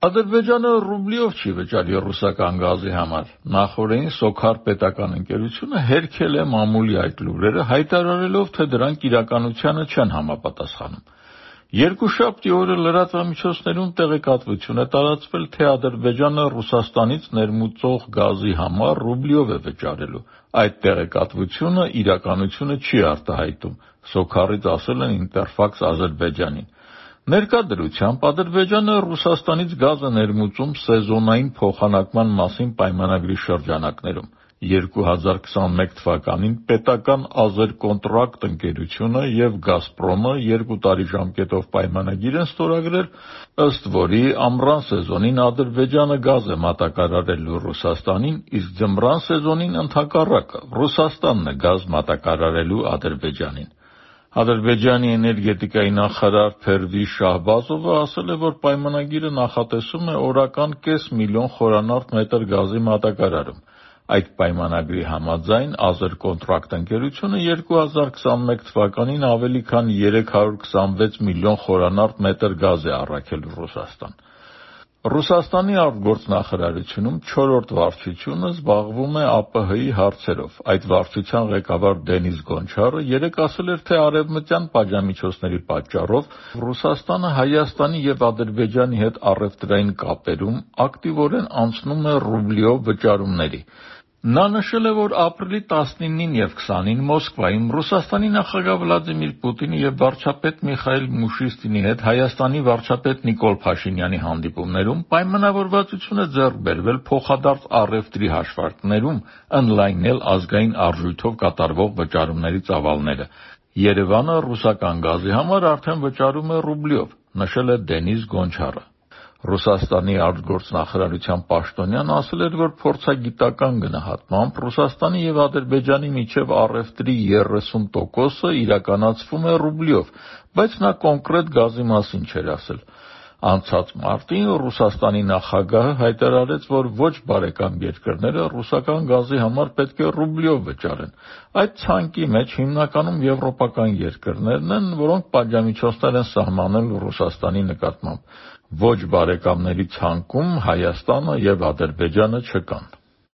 Ադրբեջանը ռուբլիով չի վճարի ռուսական գազի համար։ Նախորդին Սոքար պետական ընկերությունը հերքել է մամուլի այդ լուրերը, հայտարարելով, թե դրանք իրականությանը չեն համապատասխանում։ Երկուշաբթի օրը լրատվամիջոցներում տեղեկատվություն է տարածվել, թե Ադրբեջանը Ռուսաստանից ներմուծող գազի համար ռուբլիով է վճարելու։ Այդ տեղեկատվությունը իրականությունը չի արտահայտում, Սոքարից ասել են Ինտերֆաքս Ադրբեջանին։ Ներկա դրությամբ Ադրբեջանը Ռուսաստանից գազ է ներմուծում սեզոնային փոխանակման մասին պայմանագրի շրջանակներում։ 2021 թվականին պետական «Ազերկոնտրակտ» ընկերությունը և «Գազպրոմը» 2 տարի ժամկետով պայմանագիր են ստորագրել, ըստ որի ամռան սեզոնին Ադրբեջանը գազ է մատակարարելու Ռուսաստանին, իսկ ձմռան սեզոնին ընդհակառակը Ռուսաստանն է գազ մատակարարելու Ադրբեջանին։ Ադրբեջանի էներգետիկայի նախարար Փերվիշ Շահբազովը ասել է, որ պայմանագիրը նախատեսում է օրական կես միլիոն խորանարդ մետր գազի մատակարարում։ Այդ պայմանագրի համաձայն «Ազերկոնտրակտ» ընկերությունը 2021 թվականին ավելի քան 326 միլիոն խորանարդ մետր գազ է առաքել Ռուսաստան։ Ռուսաստանի արտգործնախարարությունում 4-րդ վարչությունը զբաղվում է ԱՊՀ-ի հարցերով։ Այդ վարչության ղեկավար Դենիս Գոնչարը երեկ ասել էր, թե արևմտյան պատժամիջոցների պատճառով Ռուսաստանը Հայաստանի և Ադրբեջանի հետ առևտրային կապերում ակտիվորեն անցնում է ռուբլիով վճարումների։ Նա նշել է, որ ապրիլի 19-ին և 20-ին Մոսկվայում Ռուսաստանի նախագահ Վլադիմիր Պուտինի և վարչապետ Միխայիլ Միշուստինի հետ Հայաստանի վարչապետ Նիկոլ Փաշինյանի հանդիպումներում պայմանավորվածություն է ձեռք բերվել փոխադարձ առևտրի հաշվարկներում ընդլայնել ազգային արժույթով կատարվող վճարումների ծավալները։ Երևանը ռուսական գազի համար արդեն վճարում է ռուբլիով, նշել է Դենիս Գոնչարը։ Ռուսաստանի արտգործնախարարության պաշտոնյան ասել էր, որ փորձագիտական գնահատմամբ Ռուսաստանի և Ադրբեջանի միջև առևտրի 30%-ը իրականացվում է ռուբլիով, բայց նա կոնկրետ գազի մասին չէր ասել։ Անցած մարտին Ռուսաստանի նախագահը հայտարարեց, որ ոչ բարեկամ երկրները ռուսական գազի համար պետք է ռուբլիով վճարեն։ Այդ ցանկի մեջ հիմնականում եվրոպական երկրներն են, որոնք պատժամիջոցներ են սահմանել Ռուսաստանի նկատմամբ։ Ոչ բարեկամների ցանկում Հայաստանը և Ադրբեջանը չկան։